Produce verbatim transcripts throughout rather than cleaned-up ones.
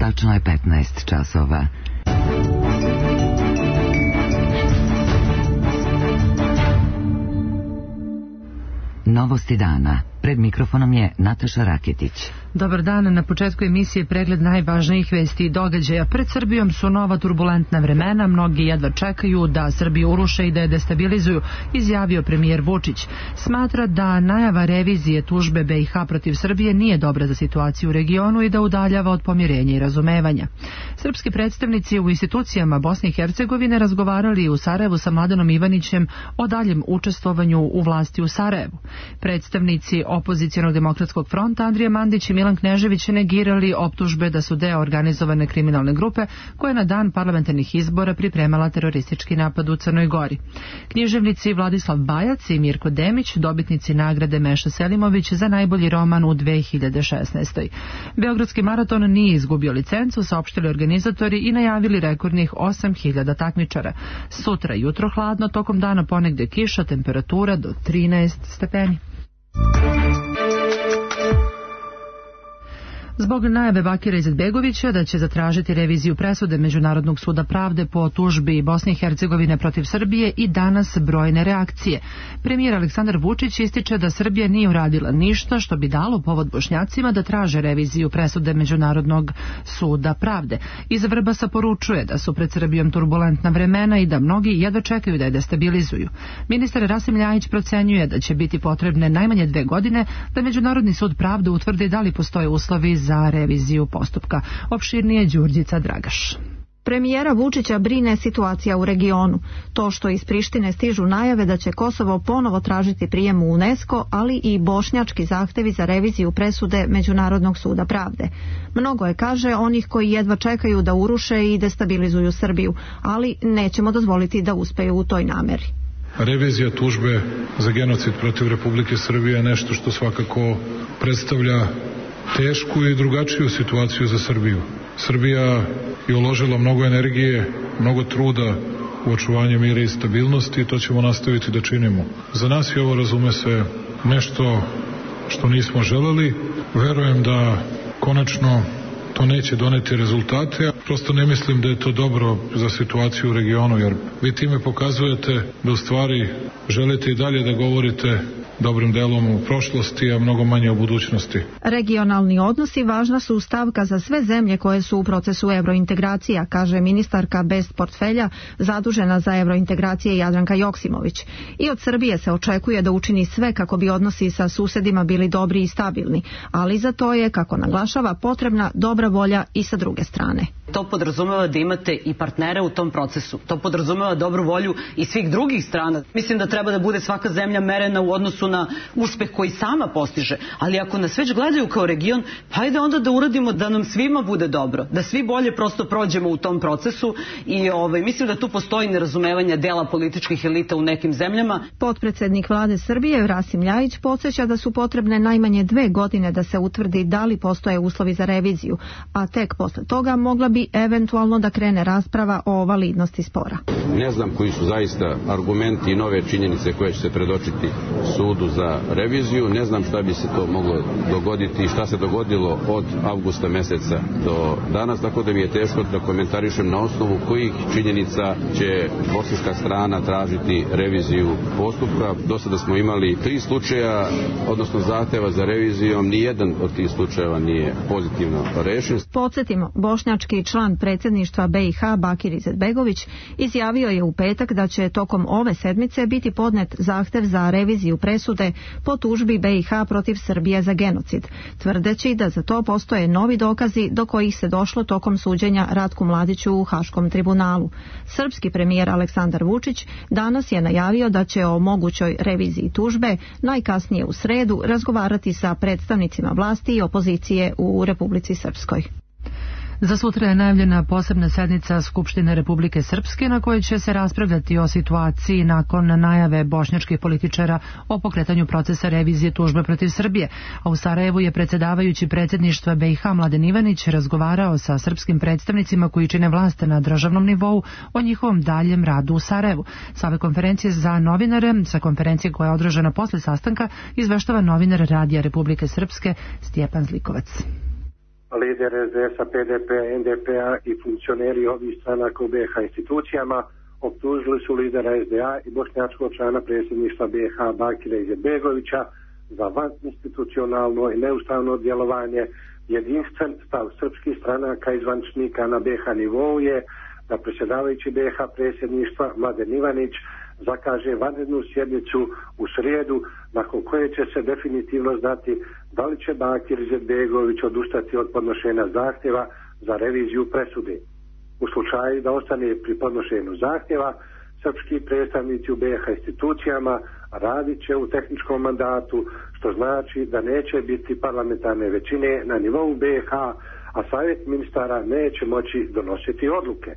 Tačno je petnaest časova. Novosti dana. Pred mikrofonom je Nataša Raketić. Dobar dan, na početku emisije pregled najvažnijih vesti i događaja. Pred Srbijom su nova turbulentna vremena, mnogi jedva čekaju da Srbiju uruše i da je destabilizuju, izjavio premijer Vučić. Smatra da najava revizije tužbe B i H protiv Srbije nije dobra za situaciju u regionu i da udaljava od pomirenja i razumevanja. Srpski predstavnici u institucijama Bosne i Hercegovine razgovarali u Sarajevu sa Mladenom Ivanićem o daljem učestvovanju u vlasti u Sarajevu. Predstavnici Opozicionog demokratskog fronta Andrija Mandić i Milan Knežević negirali optužbe da su deo organizovane kriminalne grupe koja je na dan parlamentarnih izbora pripremala teroristički napad u Crnoj Gori. Književnici Vladislav Bajac i Mirko Demić, dobitnici nagrade Meša Selimović za najbolji roman u dve hiljade šesnaestoj. Beogradski maraton nije izgubio licencu, saopštili organizatori i najavili rekordnih osam hiljada takmičara. Sutra jutro hladno, tokom dana ponegde kiša, temperatura do trinaest stepeni. Zbog najave Bakira Izetbegovića da će zatražiti reviziju presude Međunarodnog suda pravde po tužbi Bosne i Hercegovine protiv Srbije i danas brojne reakcije. Premijer Aleksandar Vučić ističe da Srbija nije uradila ništa što bi dalo povod Bošnjacima da traže reviziju presude Međunarodnog suda pravde. Iz Vrbasa poručuje da su pred Srbijom turbulentna vremena i da mnogi jedva čekaju da je destabilizuju. Ministar Rasim Ljajić procenjuje da će biti potrebne najmanje dve godine da Međunarodni sud pravde utvrdi da li postoje uslovi za za reviziju postupka. Opširnije Đurđica Dragaš. Premijera Vučića brine situacija u regionu. To što iz Prištine stižu najave da će Kosovo ponovo tražiti prijem u UNESCO, ali i bošnjački zahtevi za reviziju presude Međunarodnog suda pravde. Mnogo je, kaže, onih koji jedva čekaju da uruše i destabilizuju Srbiju, ali nećemo dozvoliti da uspeju u toj nameri. Revizija tužbe za genocid protiv Republike Srbije je nešto što svakako predstavlja tešku i drugačiju situaciju za Srbiju. Srbija je uložila mnogo energije, mnogo truda u očuvanje mira i stabilnosti i to ćemo nastaviti da činimo. Za nas je ovo, razume se, nešto što nismo želeli. Verujem da konačno to neće doneti rezultate. Prosto ne mislim da je to dobro za situaciju u regionu, jer vi time pokazujete da u stvari želite i dalje da govorite dobrim delom u prošlosti, a mnogo manje u budućnosti. Regionalni odnosi važna su stavka za sve zemlje koje su u procesu evrointegracija, kaže ministarka bez portfelja zadužena za evrointegracije Jadranka Joksimović. I od Srbije se očekuje da učini sve kako bi odnosi sa susedima bili dobri i stabilni, ali za to je, kako naglašava, potrebna dobra volja i sa druge strane. To podrazumeva da imate i partnere u tom procesu. To podrazumeva dobru volju i svih drugih strana. Mislim da treba da bude svaka zemlja merena u odnosu na uspeh koji sama postiže. Ali ako nas već gledaju kao region, hajde onda da uradimo da nam svima bude dobro. Da svi bolje prosto prođemo u tom procesu i ovaj, mislim da tu postoji nerazumevanje dela političkih elita u nekim zemljama. Potpredsednik vlade Srbije Rasim Ljajić podsjeća da su potrebne najmanje dve godine da se utvrdi da li postoje uslovi za reviziju, a tek posle toga mogla bi eventualno da krene rasprava o validnosti spora. Ne znam koji su zaista argumenti i nove činjenice koje će se predočiti sudu za reviziju, ne znam šta bi se to moglo dogoditi i šta se dogodilo od avgusta meseca do danas, tako da mi je teško da komentarišem na osnovu kojih činjenica će bosanska strana tražiti reviziju postupka. Do sada smo imali tri slučaja, odnosno zahteva za revizijom, nijedan od tih slučajeva nije pozitivno rešen. Podsjetimo, bošnjački član predsjedništva B i H Bakir Izetbegović izjavio je u petak da će tokom ove sedmice biti podnet zahtev za reviziju presude po tužbi B i H protiv Srbije za genocid, tvrdeći da za to postoje novi dokazi do kojih se došlo tokom suđenja Ratku Mladiću u Haškom tribunalu. Srpski premijer Aleksandar Vučić danas je najavio da će o mogućoj reviziji tužbe najkasnije u sredu razgovarati sa predstavnicima vlasti i opozicije u Republici Srpskoj. Za sutra je najavljena posebna sednica Skupštine Republike Srpske na kojoj će se raspravljati o situaciji nakon najave bošnjačkih političara o pokretanju procesa revizije tužbe protiv Srbije. A u Sarajevu je predsjedavajući predsjedništva B i H Mladen Ivanić razgovarao sa srpskim predstavnicima koji čine vlast na državnom nivou o njihovom daljem radu u Sarajevu. Sa ove konferencije za novinare, sa konferencije koja je održana posle sastanka, izveštava novinar Radija Republike Srpske Stjepan Zlikovac. Lider es de esa, P D P-a, N D P-a i funkcioneri ovih stranaka u B i H institucijama optužili su lidera es de a i bošnjačkog člana predsjedništva B i H Bakira Izetbegovića za vaninstitucionalno i neustavno djelovanje. Jedinstven stav srpskih stranaka i zvaničnika na B i H nivou je da predsjedavajući B i H predsjedništva Mladen Ivanić zakaže vanrednu sjednicu u srijedu, nakon koje će se definitivno znati da li će Bakir Izetbegović odustati od podnošenja zahtjeva za reviziju presude. U slučaju da ostane pri podnošenju zahtjeva, srpski predstavnici u B i H institucijama radit će u tehničkom mandatu, što znači da neće biti parlamentarne većine na nivou B i H, a savjet ministara neće moći donositi odluke.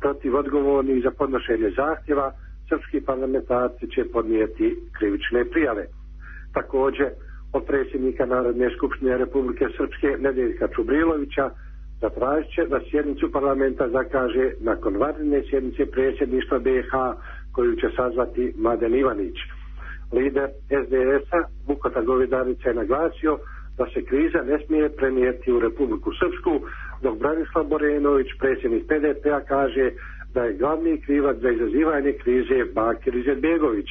Protiv odgovornih za podnošenje zahtjeva srpski parlamentarci će podnijeti krivične prijave. Također, od predsjednika Narodne skupštine Republike Srpske Nedeljka Čubrilovića zatražit će da sjednicu parlamenta zakaže nakon vanredne sjednice predsjedništva B i H koju će sazvati Mladen Ivanić. Lider es de es-a Vukota Govedarica je naglasio da se kriza ne smije prenijeti u Republiku Srpsku, dok Branislav Borenović, predsjednik P D P-a, kaže da je glavni krivac za izazivanje krize Bakir Izetbegović.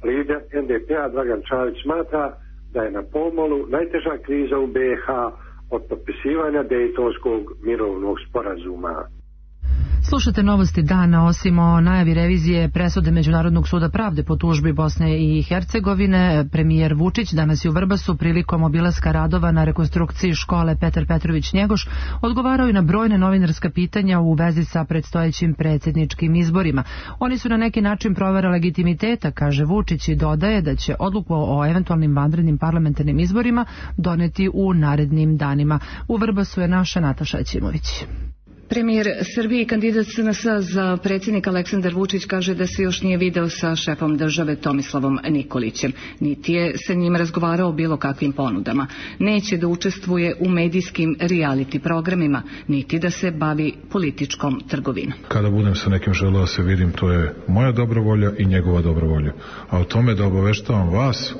Lider N D P-a Dragan Čavić smatra da je na pomolu najteža kriza u B i H od potpisivanja Dejtonskog mirovnog sporazuma. Slušate novosti dana. Osim o najavi revizije presude Međunarodnog suda pravde po tužbi Bosne i Hercegovine, premijer Vučić danas je u Vrbasu prilikom obilaska radova na rekonstrukciji škole Petar Petrović Njegoš odgovarao i na brojne novinarska pitanja u vezi sa predstojećim predsjedničkim izborima. Oni su na neki način provera legitimiteta, kaže Vučić, i dodaje da će odluku o eventualnim vanrednim parlamentarnim izborima doneti u narednim danima. U Vrbasu je naša Nataša Ćimović. Premijer Srbije i kandidat S N S za predsjednika Aleksandar Vučić kaže da se još nije video sa šefom države Tomislavom Nikolićem, niti je sa njim razgovarao o bilo kakvim ponudama. Neće da učestvuje u medijskim reality programima, niti da se bavi političkom trgovinom. Kada budem sa nekim želeo da se vidim, to je moja dobra volja i njegova dobra volja. A o tome da obaveštavam vas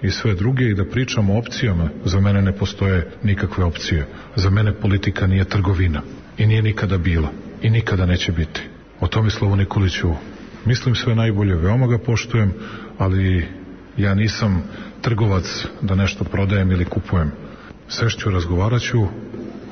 i sve druge i da pričam o opcijama, za mene ne postoje nikakve opcije. Za mene politika nije trgovina. I nije nikada bila. I nikada neće biti. O Tomislavu Nikoliću mislim sve najbolje, veoma ga poštujem, ali ja nisam trgovac da nešto prodajem ili kupujem. Sešću, razgovarat ću,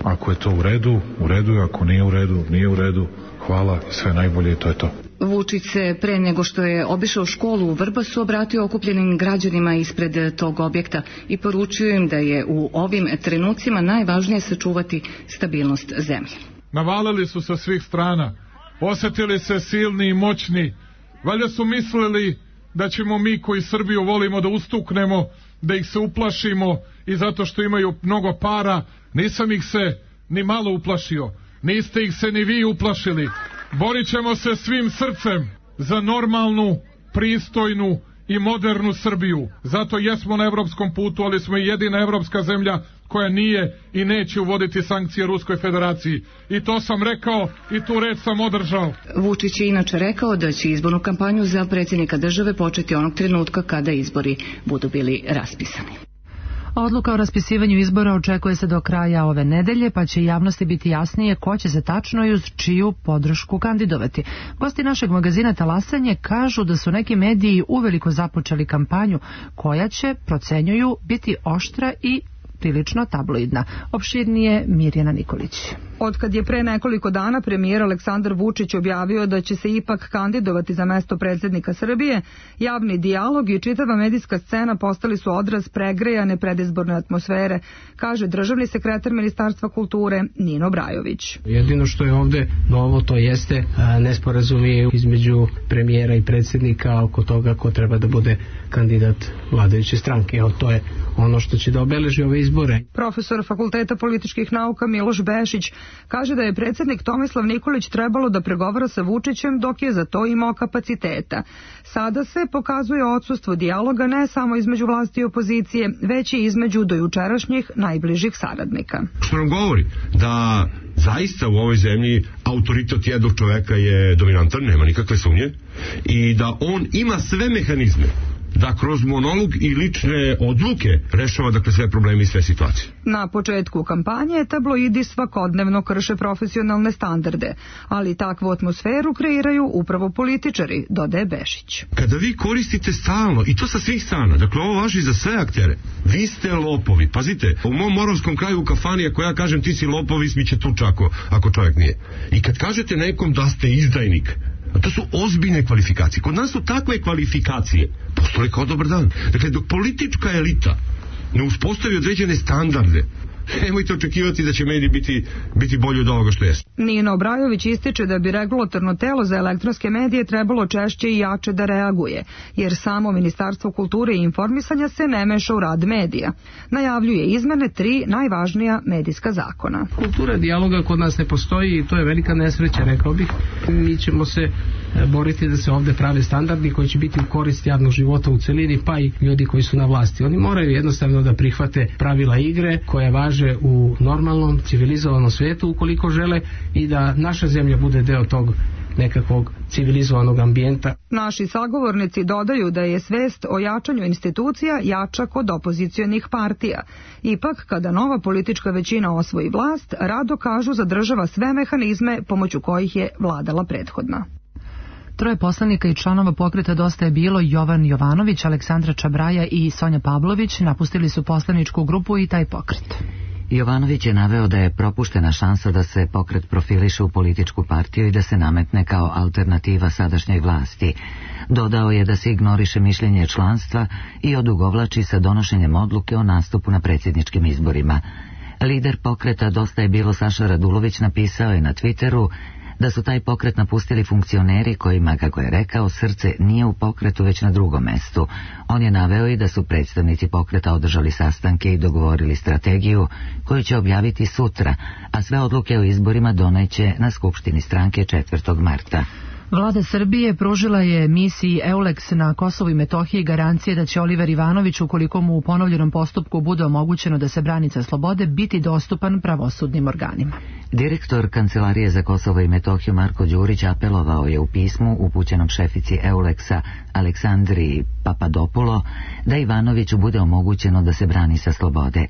ako je to u redu, u redu je, ako nije u redu, nije u redu, hvala, sve najbolje i to je to. Vučić se pre nego što je obišao školu u Vrbasu obratio okupljenim građanima ispred tog objekta i poručio im da je u ovim trenucima najvažnije sačuvati stabilnost zemlje. Navalili su sa svih strana, osjetili se silni i moćni, valjda su mislili da ćemo mi koji Srbiju volimo da ustuknemo, da ih se uplašimo i zato što imaju mnogo para. Nisam ih se ni malo uplašio, niste ih se ni vi uplašili. Borit ćemo se svim srcem za normalnu, pristojnu i modernu Srbiju. Zato jesmo na evropskom putu, ali smo i jedina evropska zemlja koja nije i neće uvoditi sankcije Ruskoj federaciji. I to sam rekao i tu reč sam održao. Vučić je inače rekao da će izbornu kampanju za predsjednika države početi onog trenutka kada izbori budu bili raspisani. Odluka o raspisivanju izbora očekuje se do kraja ove nedelje, pa će javnosti biti jasnije ko će se tačno i uz čiju podršku kandidovati. Gosti našeg magazina Talasanje kažu da su neki mediji uveliko započeli kampanju koja će, procenjuju, biti oštra i prilično tabloidna. Opširnije Mirjana Nikolić. Od kad je pre nekoliko dana premijer Aleksandar Vučić objavio da će se ipak kandidovati za mesto predsjednika Srbije, javni dijalog i čitava medijska scena postali su odraz pregrejane predizborne atmosfere, kaže državni sekretar Ministarstva kulture Nino Brajović. Jedino što je ovde novo to jeste nesporazumi između premijera i predsjednika oko toga ko treba da bude kandidat vladajuće stranke. Evo, to je ono što će da obeleži ove izbore. Profesor Fakulteta političkih nauka Miloš Bešić kaže da je predsjednik Tomislav Nikolić trebalo da pregovara sa Vučićem dok je za to imao kapaciteta. Sada se pokazuje odsustvo dijaloga ne samo između vlasti i opozicije, već i između dojučerašnjih najbližih saradnika. Što nam govori da zaista u ovoj zemlji autoritet jednog čoveka je dominantan, nema nikakve sumnje, i da on ima sve mehanizme da kroz monolog i lične odluke rešava dakle sve probleme i sve situacije. Na početku kampanje tabloidi svakodnevno krše profesionalne standarde, ali takvu atmosferu kreiraju upravo političari, dodaje Bešić. Kada vi koristite stalno, i to sa svih strana, dakle ovo važi za sve aktere, vi ste lopovi. Pazite, u mom moravskom kraju u kafani, ako ja kažem ti si lopov, ismiće tuča ako, ako čovjek nije. I kad kažete nekom da ste izdajnik, a to su ozbiljne kvalifikacije. Kod nas su takve kvalifikacije postoje kao dobar dan. Dakle, dok politička elita ne uspostavi određene standarde, nemojte očekivati da će mediji biti, biti bolji od ovoga što jesu. Nino Obrajović ističe da bi regulatorno telo za elektronske medije trebalo češće i jače da reaguje, jer samo Ministarstvo kulture i informisanja se ne meša u rad medija. Najavljuje izmene tri najvažnija medijska zakona. Kultura dijaloga kod nas ne postoji i to je velika nesreća, rekao bih. Mi ćemo se boriti da se ovdje prave standardi koji će biti u korist javnog života u celini, pa i ljudi koji su na vlasti. Oni moraju jednostavno da prihvate pravila igre koje važe u normalnom, civilizovanom svijetu ukoliko žele i da naša zemlja bude deo tog nekakvog civilizovanog ambijenta. Naši sagovornici dodaju da je svest o jačanju institucija jača kod opozicionih partija. Ipak, kada nova politička većina osvoji vlast, rado kažu zadržava sve mehanizme pomoću kojih je vladala prethodna. Troje poslanika i članova pokreta Dosta je bilo, Jovan Jovanović, Aleksandra Čabraja i Sonja Pavlović, napustili su poslaničku grupu i taj pokret. Jovanović je naveo da je propuštena šansa da se pokret profiliše u političku partiju i da se nametne kao alternativa sadašnjoj vlasti. Dodao je da se ignoriše mišljenje članstva i odugovlači sa donošenjem odluke o nastupu na predsjedničkim izborima. Lider pokreta Dosta je bilo Saša Radulović napisao je na Twitteru da su taj pokret napustili funkcioneri kojima, kako je rekao, srce nije u pokretu već na drugom mestu. On je naveo i da su predstavnici pokreta održali sastanke i dogovorili strategiju koju će objaviti sutra, a sve odluke o izborima doneće na skupštini stranke četvrtog marta. Vlada Srbije pružila je misiji EULEX na Kosovu i Metohiji garancije da će Oliver Ivanović, ukoliko mu u ponovljenom postupku bude omogućeno da se brani sa slobode, biti dostupan pravosudnim organima. Direktor Kancelarije za Kosovo i Metohiju Marko Đurić apelovao je u pismu upućenom šefici EULEX-a Aleksandri Papadopulo da Ivanoviću bude omogućeno da se brani sa slobode.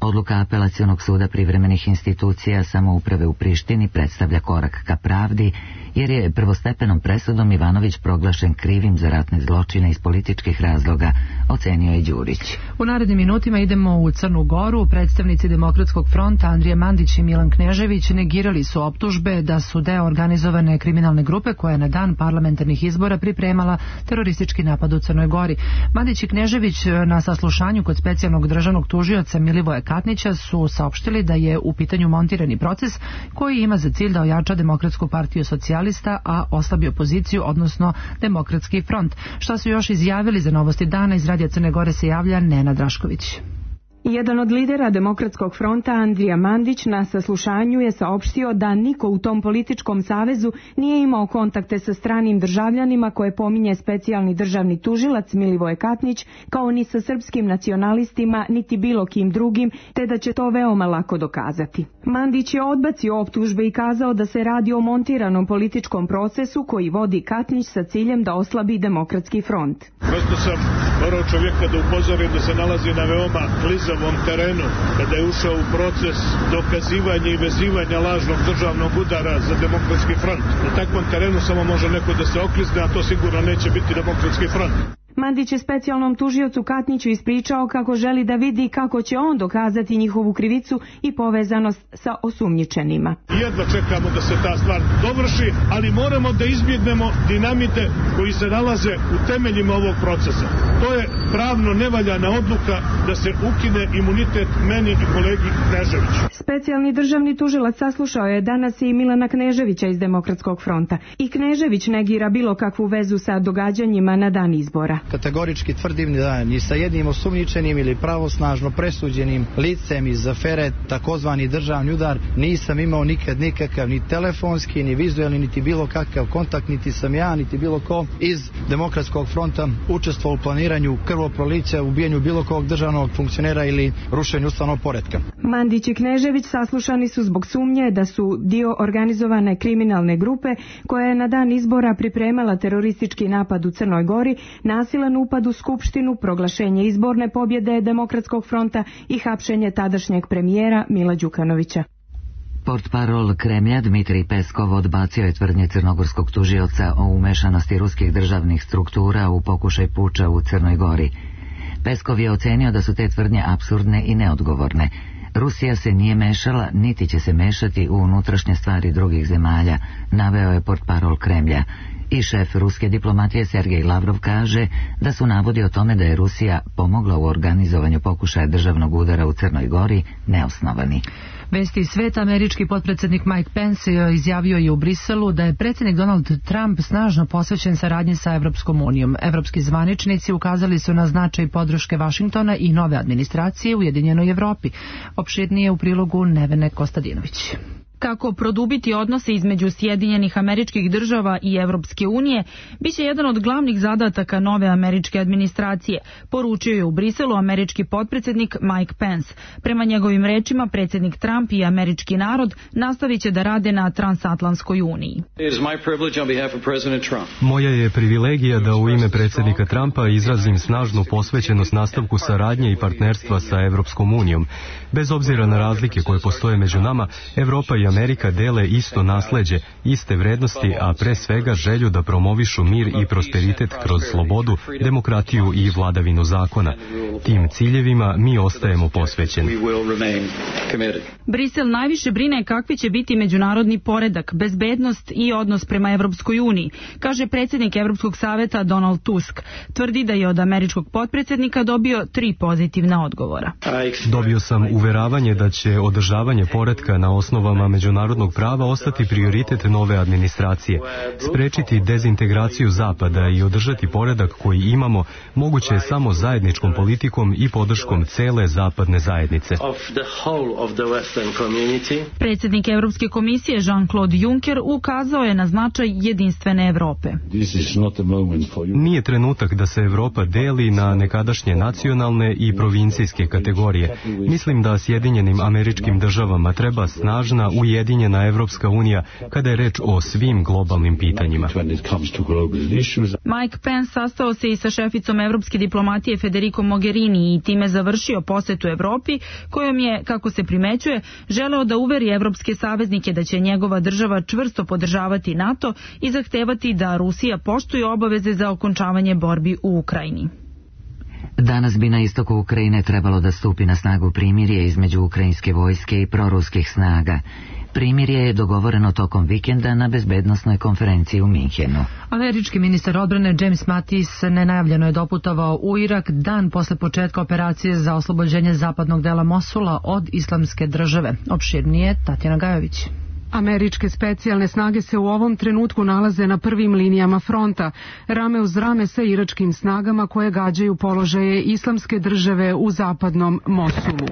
Odluka Apelacionog suda privremenih institucija samouprave u Prištini predstavlja korak ka pravdi, jer je prvostepenom presudom Ivanović proglašen krivim za ratne zločine iz političkih razloga, ocenio je Đurić. U narednim minutima idemo u Crnu Goru. Predstavnici Demokratskog fronta Andrija Mandić i Milan Knežević negirali su optužbe da su deo organizovane kriminalne grupe koja je na dan parlamentarnih izbora pripremala teroristički napad u Crnoj Gori. Mandić i Knežević na saslušanju kod specijalnog državnog tužioca Milivoja Katnića su saopštili da je u pitanju montirani proces koji ima za cilj da ojača Demokratsku partiju socijalista, a oslabi opoziciju, odnosno Demokratski front. Šta su još izjavili za Novosti dana, iz Radija Crne Gore se javlja Nena Drašković. Jedan od lidera Demokratskog fronta, Andrija Mandić, na saslušanju je saopštio da niko u tom političkom savezu nije imao kontakte sa stranim državljanima koje pominje specijalni državni tužilac Milivoje Katnić, kao ni sa srpskim nacionalistima, niti bilo kim drugim, te da će to veoma lako dokazati. Mandić je odbacio optužbe i kazao da se radi o montiranom političkom procesu koji vodi Katnić sa ciljem da oslabi Demokratski front. Prosto sam morao čovjeka da upozorim da se nalazi na veoma klizavom terenu kada je ušao u proces dokazivanja i vezivanja lažnog državnog udara za Demokratski front. Na takvom terenu samo može neko da se oklizne, a to sigurno neće biti Demokratski front. Mandić je specijalnom tužiocu Katniću ispričao kako želi da vidi kako će on dokazati njihovu krivicu i povezanost sa osumnjičenima. Jedva čekamo da se ta stvar dovrši, ali moramo da izbjegnemo dinamite koji se nalaze u temeljima ovog procesa. To je pravno nevaljana odluka da se ukine imunitet meni i kolegi Kneževiću. Specijalni državni tužilac saslušao je danas i Milana Kneževića iz Demokratskog fronta. I Knežević negira bilo kakvu vezu sa događanjima na dan izbora. Kategorički tvrdim da ni sa jednim osumnjičenim ili pravosnažno presuđenim licem iz afere takozvani državni udar nisam imao nikad nikakav ni telefonski, ni vizualni, niti bilo kakav kontakt, niti sam ja, niti bilo ko iz Demokratskog fronta učestvovao u planiranju krvoprolića, ubijanju bilo kog državnog funkcionera ili rušenju ustavnog poretka. Mandić i Knežević saslušani su zbog sumnje da su dio organizovane kriminalne grupe koja je na dan izbora pripremala teroristički napad u Crnoj Gori, nasilno nasilan upad u skupštinu, proglašenje izborne pobjede Demokratskog fronta i hapšenje tadašnjeg premijera Mila Đukanovića. Portparol Kremlja Dmitrij Peskov odbacio je tvrdnje crnogorskog tužioca o umešanosti ruskih državnih struktura u pokušaj puča u Crnoj Gori. Peskov je ocenio da su te tvrdnje apsurdne i neodgovorne. Rusija se nije mešala, niti će se mešati u unutrašnje stvari drugih zemalja, naveo je portparol Kremlja. I šef ruske diplomatije Sergej Lavrov kaže da su navodi o tome da je Rusija pomogla u organizovanju pokušaja državnog udara u Crnoj Gori neosnovani. Vesti sveta, američki potpredsjednik Mike Pence izjavio je u Briselu da je predsjednik Donald Trump snažno posvećen saradnji sa Evropskom unijom. Evropski zvaničnici ukazali su na značaj podrške Vašingtona i nove administracije u Ujedinjenoj Evropi. Opširnije u prilogu Nevene Kostadinović. Kako produbiti odnose između Sjedinjenih Američkih Država i Evropske unije biće jedan od glavnih zadataka nove američke administracije, poručio je u Briselu američki potpredsjednik Mike Pence. Prema njegovim rečima, predsjednik Trump i američki narod nastavit će da rade na transatlantskoj uniji. Moja je privilegija da u ime predsjednika Trumpa izrazim snažnu posvećenost nastavku saradnje i partnerstva sa Evropskom unijom. Bez obzira na razlike koje postoje među nama, Evropa i Amerika dele isto nasleđe, iste vrednosti, a pre svega želju da promovišu mir i prosperitet kroz slobodu, demokratiju i vladavinu zakona. Tim ciljevima mi ostajemo posvećeni. Brisel najviše brine kakvi će biti međunarodni poredak, bezbednost i odnos prema Evropskoj uniji, kaže predsjednik Evropskog saveta Donald Tusk. Tvrdi da je od američkog potpredsjednika dobio tri pozitivna odgovora. Dobio sam uveravanje da će održavanje poretka na osnovama međunarodnog prava ostati prioritet nove administracije. Sprečiti dezintegraciju Zapada i održati poredak koji imamo moguće je samo zajedničkom politikom i podrškom cele zapadne zajednice. Predsjednik Evropske komisije Jean-Claude Juncker ukazao je na značaj jedinstvene Evrope. Nije trenutak da se Evropa deli na nekadašnje nacionalne i provincijske kategorije. Mislim da Sjedinjenim Američkim Državama treba snažna ujedinjena Evropska unija kada je reč o svim globalnim pitanjima. Mike Pence sastao se i sa šeficom evropske diplomatije Federico Mogherini i time završio posetu Evropi, kojom je, kako se primećuje, želeo da uveri evropske saveznike da će njegova država čvrsto podržavati NATO i zahtevati da Rusija poštuje obaveze za okončavanje borbi u Ukrajini. Danas bi na istoku Ukrajine trebalo da stupi na snagu primirje između ukrajinske vojske i proruskih snaga. Primirje je dogovoreno tokom vikenda na bezbednosnoj konferenciji u Minhenu. Američki ministar odbrane James Mattis nenajavljeno je doputovao u Irak dan posle početka operacije za oslobođenje zapadnog dela Mosula od Islamske države. Opširnije Tatjana Gajović. Američke specijalne snage se u ovom trenutku nalaze na prvim linijama fronta, rame uz rame sa iračkim snagama koje gađaju položaje Islamske države u zapadnom Mosulu.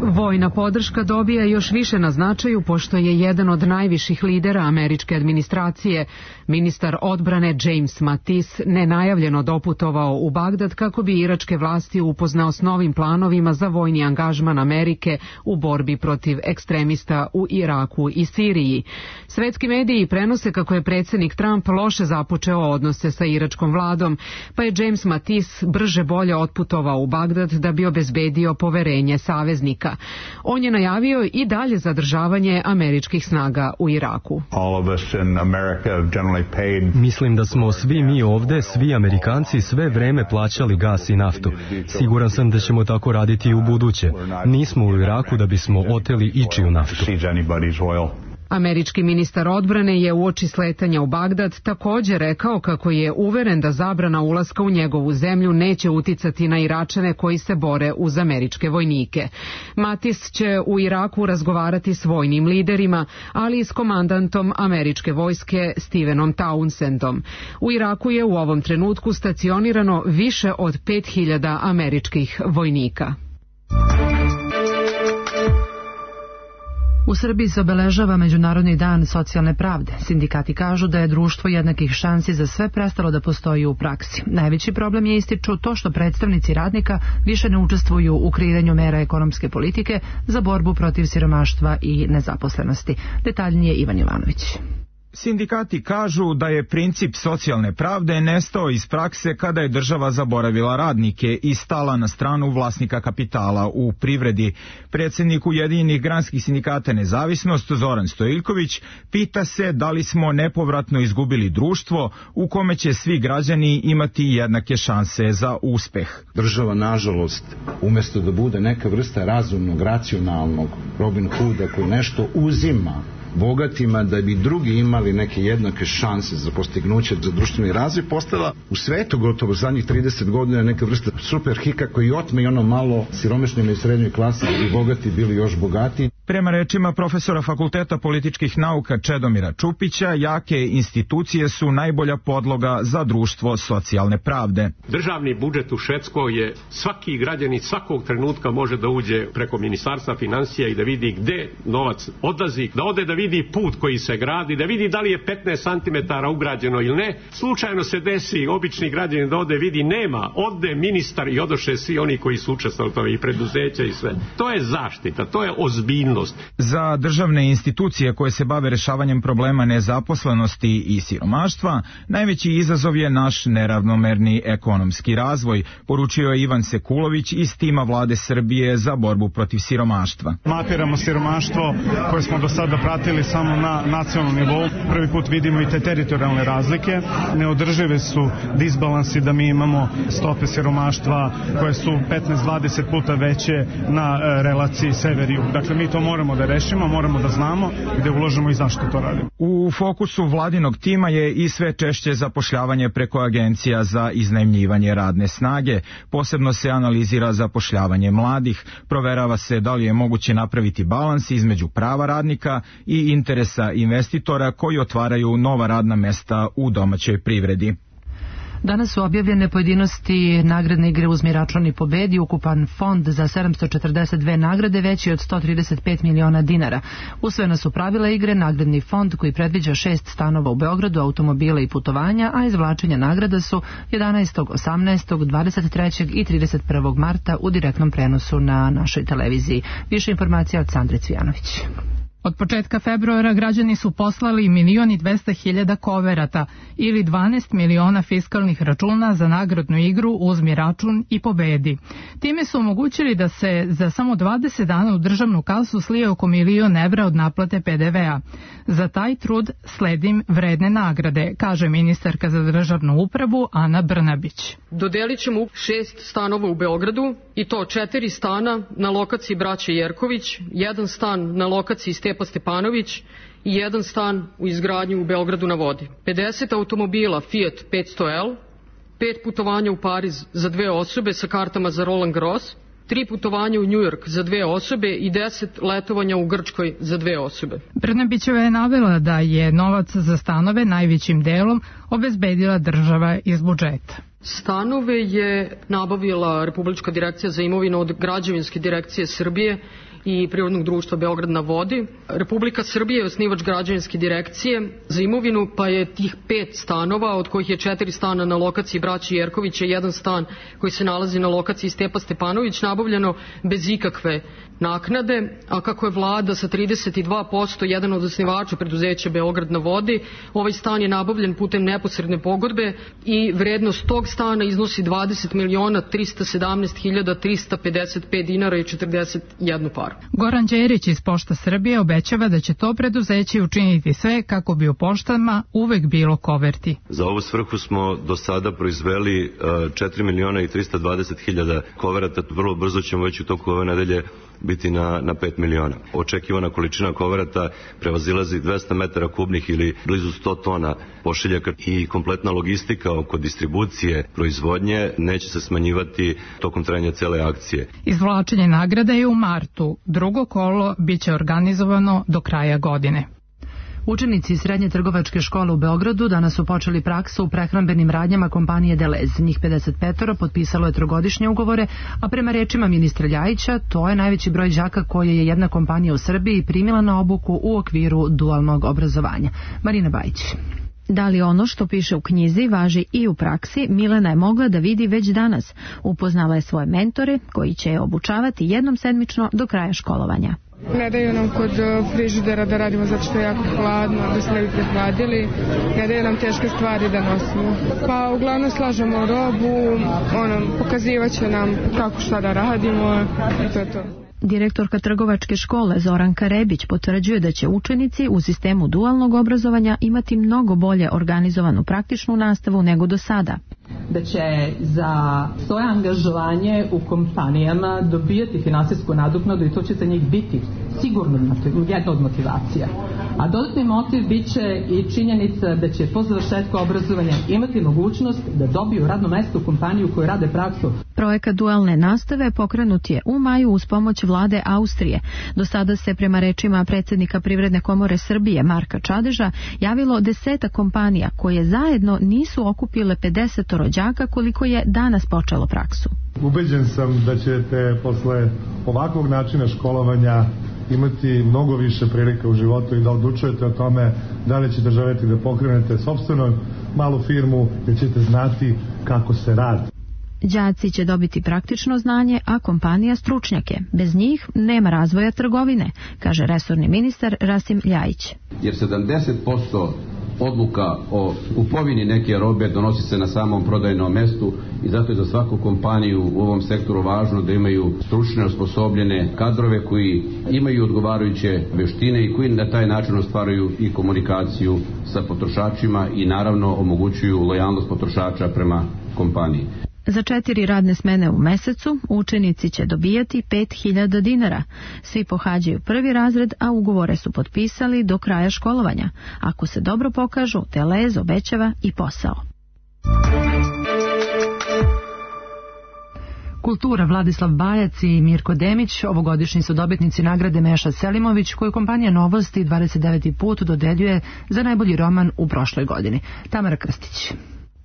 Vojna podrška dobija još više na značaju pošto je jedan od najviših lidera američke administracije, ministar odbrane James Mattis, nenajavljeno doputovao u Bagdad kako bi iračke vlasti upoznao s novim planovima za vojni angažman Amerike u borbi protiv ekstremista u Iraku i Siriji. Svetski mediji prenose kako je predsjednik Trump loše započeo odnose sa iračkom vladom, pa je James Mattis brže bolje otputovao u Bagdad da bi obezbedio poverenje saveznika. On je najavio i dalje zadržavanje američkih snaga u Iraku. Mislim da smo svi mi ovde, svi Amerikanci, sve vreme plaćali gas i naftu. Siguran sam da ćemo tako raditi i u buduće. Nismo u Iraku da bismo oteli ičiju naftu. Američki ministar odbrane je uoči sletanja u Bagdad također rekao kako je uveren da zabrana ulaska u njegovu zemlju neće uticati na Iračane koji se bore uz američke vojnike. Mattis će u Iraku razgovarati s vojnim liderima, ali i s komandantom američke vojske Stevenom Townsendom. U Iraku je u ovom trenutku stacionirano više od pet hiljada američkih vojnika. U Srbiji se obeležava Međunarodni dan socijalne pravde. Sindikati kažu da je društvo jednakih šansi za sve prestalo da postoji u praksi. Najveći problem je, ističu, to što predstavnici radnika više ne učestvuju u kreiranju mera ekonomske politike za borbu protiv siromaštva i nezaposlenosti. Detaljnije Ivan Jovanović. Sindikati kažu da je princip socijalne pravde nestao iz prakse kada je država zaboravila radnike i stala na stranu vlasnika kapitala u privredi. Predsjednik Ujedinjenih granskih sindikata Nezavisnost Zoran Stojiljković pita se da li smo nepovratno izgubili društvo u kome će svi građani imati jednake šanse za uspeh. Država, nažalost, umjesto da bude neka vrsta razumnog, racionalnog Robin Hooda koji nešto uzima bogatima da bi drugi imali neke jednake šanse za postignuće za društveni razvoj, postala u svetu gotovo zadnjih trideset godina neka vrsta superhika koji otme i ono malo siromašnima i srednjoj klasi i bogati bili još bogati. Prema rečima profesora Fakulteta političkih nauka Čedomira Čupića, jake institucije su najbolja podloga za društvo socijalne pravde. Državni budžet u Švedskoj je svaki građanin svakog trenutka može da uđe preko Ministarstva financija i da vidi gde novac odlazi, da ode da vidi put koji se gradi, da vidi da li je petnaest santimetara ugrađeno ili ne. Slučajno se desi obični građanin da ode vidi nema, ode ministar i odoše svi oni koji su učestvovali u tome i preduzeća i sve. To je zaštita, to je ozbiljnost. Za državne institucije koje se bave rešavanjem problema nezaposlenosti i siromaštva, najveći izazov je naš neravnomerni ekonomski razvoj, poručio je Ivan Sekulović iz tima vlade Srbije za borbu protiv siromaštva. Mapiramo siromaštvo koje smo do sada pratili samo na nacionalnom nivou. Prvi put vidimo i te teritorijalne razlike. Neodržive su disbalansi da mi imamo stope siromaštva koje su petnaest do dvadeset puta veće na relaciji sever-jug. Dakle, mi to moramo da rešimo, moramo da znamo gde uložimo i zašto to radimo. U fokusu vladinog tima je i sve češće zapošljavanje preko agencija za iznajmljivanje radne snage. Posebno se analizira zapošljavanje mladih, proverava se da li je moguće napraviti balans između prava radnika i interesa investitora koji otvaraju nova radna mesta u domaćoj privredi. Danas su objavljene pojedinosti nagradne igre Uzmi račun i pobedi. Ukupan fond za sedamsto četrdeset dve nagrade veći od sto trideset pet miliona dinara. Usvojena su pravila igre, nagradni fond koji predviđa šest stanova u Beogradu, automobila i putovanja, a izvlačenja nagrada su jedanaestog, osamnaestog, dvadeset trećeg i trideset prvog marta u direktnom prenosu na našoj televiziji. Više informacija od Sandre Cvijanović. Od početka februara građani su poslali milion i dvesta hiljada koverata ili dvanaest miliona fiskalnih računa za nagradnu igru Uzmi račun i pobedi. Time su omogućili da se za samo dvadeset dana u državnu kasu slije oko milion evra od naplate pe de ve a. Za taj trud sledim vredne nagrade, kaže ministarka za državnu upravu Ana Brnabić. Dodelit ćemo šest stanova u Beogradu i to četiri stana na lokaciji Braće Jerković, jedan stan na lokaciji Stepa Stepanović i jedan stan u izgradnji u Beogradu na vodi. pedeset automobila Fiat petsto el, pet putovanja u Pariz za dve osobe sa kartama za Roland Garros, tri putovanja u Njujork za dve osobe i deset letovanja u Grčkoj za dve osobe. Brnabićeva je navela da je novac za stanove najvećim delom obezbedila država iz budžeta. Stanove je nabavila Republička direkcija za imovinu od Građevinske direkcije Srbije i Prirodnog društva Beograd na vodi. Republika Srbije je osnivač Građevinske direkcije za imovinu, pa je tih pet stanova, od kojih je četiri stana na lokaciji Braće Jerkovića i jedan stan koji se nalazi na lokaciji Stepa Stepanović, nabavljeno bez ikakve naknade, a kako je vlada sa trideset dva posto jedan od osnivača preduzeća Beograd na vodi, ovaj stan je nabavljen putem neposredne pogodbe i vrednost tog stana iznosi dvadeset miliona trista sedamnaest hiljada trista pedeset pet dinara i četrdeset jednu paru. Goran Đerić iz Pošta Srbije obećava da će to preduzeće učiniti sve kako bi u poštama uvek bilo koverti. Za ovu svrhu smo do sada proizveli četiri miliona i trista dvadeset hiljada koverata. Vrlo brzo ćemo već u toku ove nedelje biti na, na pet miliona. Očekivana količina koverata prevazilazi dvesta metara kubnih ili blizu sto tona pošiljaka i kompletna logistika oko distribucije proizvodnje neće se smanjivati tokom trajanja cele akcije. Izvlačenje nagrada je u martu. Drugo kolo biće organizovano do kraja godine. Učenici Srednje trgovačke škole u Beogradu danas su počeli praksu u prehrambenim radnjama kompanije Delez. Njih pedeset pet potpisalo je trogodišnje ugovore, a prema rečima ministra Ljajića, to je najveći broj đaka koje je jedna kompanija u Srbiji primila na obuku u okviru dualnog obrazovanja. Marina Bajić. Da li ono što piše u knjizi važi i u praksi, Milena je mogla da vidi već danas. Upoznala je svoje mentore koji će je obučavati jednom sedmično do kraja školovanja. Ne daju nam kod frižidera da radimo zato što je jako hladno, da se ne bi prehladili. Ne daju nam teške stvari da nosimo. Pa uglavnom slažemo robu, ono, pokazivat će nam kako šta da radimo i to je to. Direktorka trgovačke škole Zoranka Rebić potvrđuje da će učenici u sistemu dualnog obrazovanja imati mnogo bolje organizovanu praktičnu nastavu nego do sada. Da će za svoje angažovanje u kompanijama dobijati finansijsku nadoknadu i to će za njih biti sigurno jedna od motivacija. A dodatni motiv bit će i činjenica da će po završetku obrazovanja imati mogućnost da dobiju radno mesto u kompaniju koju rade praksu. Projekat dualne nastave pokrenut je u maju uz pomoć vlade Austrije. Do sada se prema rečima predsjednika Privredne komore Srbije Marka Čadeža javilo deseta kompanija koje zajedno nisu okupile pedeset rođaka koliko je danas počelo praksu. Ubeđen sam da ćete posle ovakvog načina školovanja imati mnogo više prilika u životu i da odlučujete o tome da li ćete želeti da pokrenete sopstvenu malu firmu ili ćete znati kako se radi. Đaci će dobiti praktično znanje, a kompanija stručnjake. Bez njih nema razvoja trgovine, kaže resorni ministar Rasim Ljajić. Jer sedamdeset posto odluka o kupovini neke robe donosi se na samom prodajnom mestu i zato je za svaku kompaniju u ovom sektoru važno da imaju stručne, osposobljene kadrove koji imaju odgovarajuće veštine i koji na taj način ostvaruju i komunikaciju sa potrošačima i naravno omogućuju lojalnost potrošača prema kompaniji. Za četiri radne smene u mesecu učenici će dobijati pet hiljada dinara. Svi pohađaju prvi razred, a ugovore su potpisali do kraja školovanja. Ako se dobro pokažu, Telez obećava i posao. Kultura, Vladislav Bajac i Mirko Demić ovogodišnji su dobitnici nagrade Meša Selimović koju kompanija Novosti dvadeset deveti put dodeljuje za najbolji roman u prošloj godini. Tamara Krstić.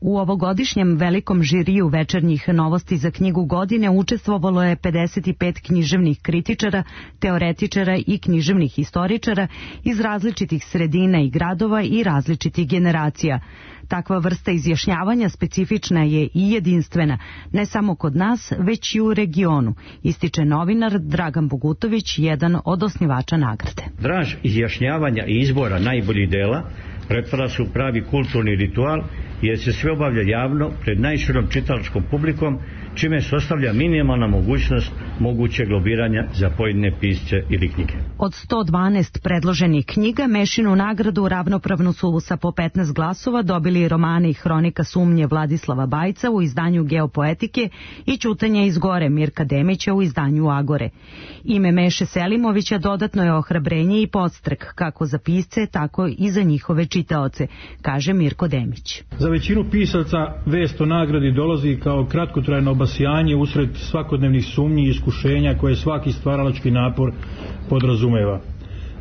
U ovogodišnjem velikom žiriju večernjih novosti za knjigu godine učestvovalo je pedeset pet književnih kritičara, teoretičara i književnih historičara iz različitih sredina i gradova i različitih generacija. Takva vrsta izjašnjavanja specifična je i jedinstvena, ne samo kod nas, već i u regionu, ističe novinar Dragan Bogutović, jedan od osnivača nagrade. Draž izjašnjavanja i izbora najboljih dela pretvara se u pravi kulturni ritual jer se sve obavlja javno pred najširom čitalačkom publikom, čime se ostavlja minimalna mogućnost mogućeg lobiranja za pojedine pisce ili knjige. Od sto dvanaest predloženih knjiga Mešinu nagradu ravnopravno su sa po petnaest glasova dobili romane i hronika sumnje Vladislava Bajca u izdanju Geopoetike i Ćutanje iz gore Mirka Demića u izdanju Agore. Ime Meše Selimovića dodatno je ohrabrenje i podstrek kako za pisce, tako i za njihove čitaoce, kaže Mirko Demić. Za većinu pisaca vest o nagradi dolazi kao kratkotrajno obasjanje usred svakodnevnih sumnji i iskušenja koje svaki stvaralački napor podrazumeva.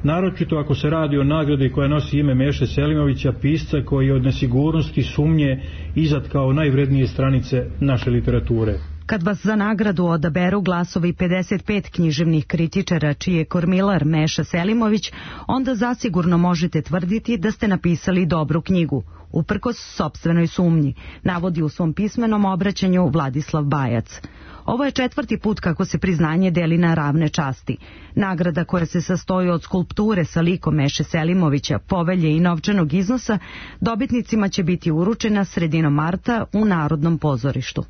Naročito ako se radi o nagradi koja nosi ime Meše Selimovića, pisca koji je od nesigurnosti, sumnje izat kao najvrednije stranice naše literature. Kad vas za nagradu odaberu glasovi pedeset pet književnih kritičara čiji je kormilar Meša Selimović, onda zasigurno možete tvrditi da ste napisali dobru knjigu, uprkos sopstvenoj sumnji, navodi u svom pismenom obraćanju Vladislav Bajac. Ovo je četvrti put kako se priznanje deli na ravne časti. Nagrada koja se sastoji od skulpture sa likom Meše Selimovića, povelje i novčanog iznosa, dobitnicima će biti uručena sredinom marta u Narodnom pozorištu.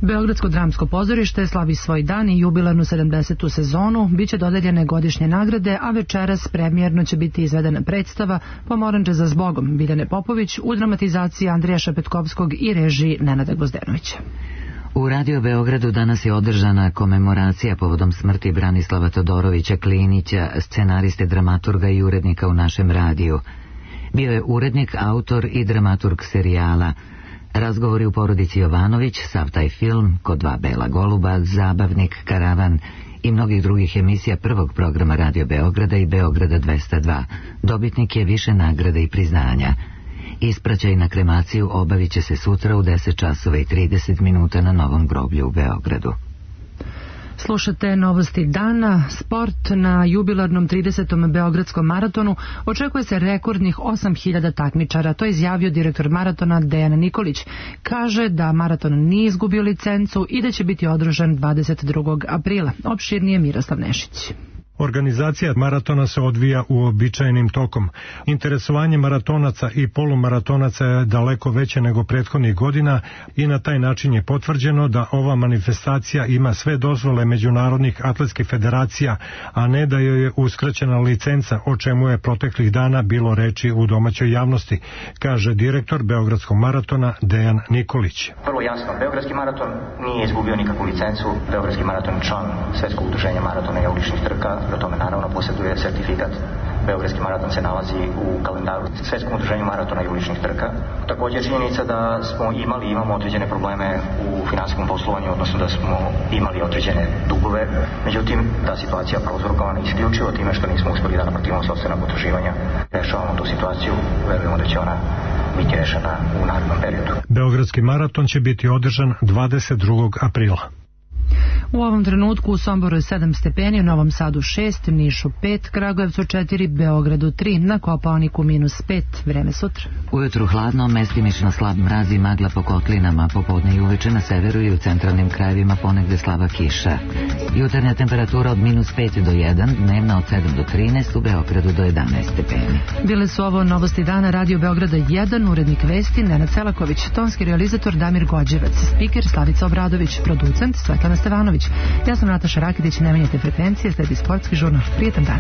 Beogradsko dramsko pozorište slavi svoj dan i jubilarnu sedamdesetu sezonu, biće dodeljene godišnje nagrade, a večeras premijerno će biti izvedena predstava Pomoranđe za zbogom Biljane Popović u dramatizaciji Andrija Šepetkovskog i režiji Nenada Gvozdenovića. U Radio Beogradu danas je održana komemoracija povodom smrti Branislava Todorovića Klinića, scenariste, dramaturga i urednika u našem radiju. Bio je urednik, autor i dramaturg serijala Razgovori u porodici Jovanović, sav taj film, Kod dva bela goluba, Zabavnik, Karavan i mnogih drugih emisija prvog programa Radio Beograda i Beograda dvesta dva. Dobitnik je više nagrada i priznanja. Ispraćaj na kremaciju obavit će se sutra u deset časova i trideset minuta na Novom groblju u Beogradu. Slušate novosti dana. Sport na jubilarnom tridesetom Beogradskom maratonu očekuje se rekordnih osam hiljada takmičara. To je izjavio direktor maratona Dejan Nikolić. Kaže da maraton nije izgubio licencu i da će biti održan dvadeset drugog aprila. Opširnije Miroslav Nešić. Organizacija maratona se odvija uobičajenim tokom. Interesovanje maratonaca i polumaratonaca je daleko veće nego prethodnih godina i na taj način je potvrđeno da ova manifestacija ima sve dozvole međunarodnih atletskih federacija, a ne da joj je uskraćena licenca, o čemu je proteklih dana bilo reči u domaćoj javnosti, kaže direktor Beogradskog maratona Dejan Nikolić. Vrlo jasno, Beogradski maraton nije izgubio nikakvu licencu. Beogradski maraton je član Svetskog udruženja maratona i uličnih trka. Do tome naravno posjeduje sertifikat. Beogradski maraton se nalazi u kalendaru Svetskom udruženju maratona i uličnih trka. Također činjenica da smo imali, imamo određene probleme u finansijskom poslovanju, odnosno da smo imali određene dugove. Međutim, ta situacija prouzrokovana isključivo time što nismo uspjeli da naplatimo sopstvena potraživanja. Rešavamo tu situaciju, verujemo da će ona biti rešena u narednom periodu. Beogradski maraton će biti održan dvadeset drugog aprila. U ovom trenutku u Somboru je sedam stepeni, u Novom Sadu šest, Nišu pet, Kragujevcu četiri, Beogradu tri, na Kopaoniku minus pet. Vreme sutra. Ujutru hladno, mestimično slab mraz i magla po kotlinama, popodne i uveče na severu i u centralnim krajevima ponegde slaba kiša. Jutarnja temperatura od minus pet do jedan, dnevna od sedam do trinaest, u Beogradu do jedanaest stepeni. Bile su ovo novosti dana Radio Beograda jedan, urednik vesti Nenad Selaković, tonski realizator Damir Gođevac, spiker Slavica Obradović, producent Svetlana Stevanović. Ja sam Nataša Rakitić, ne menjate frekvencije, sledi sportski žurnal. Prijetan dan.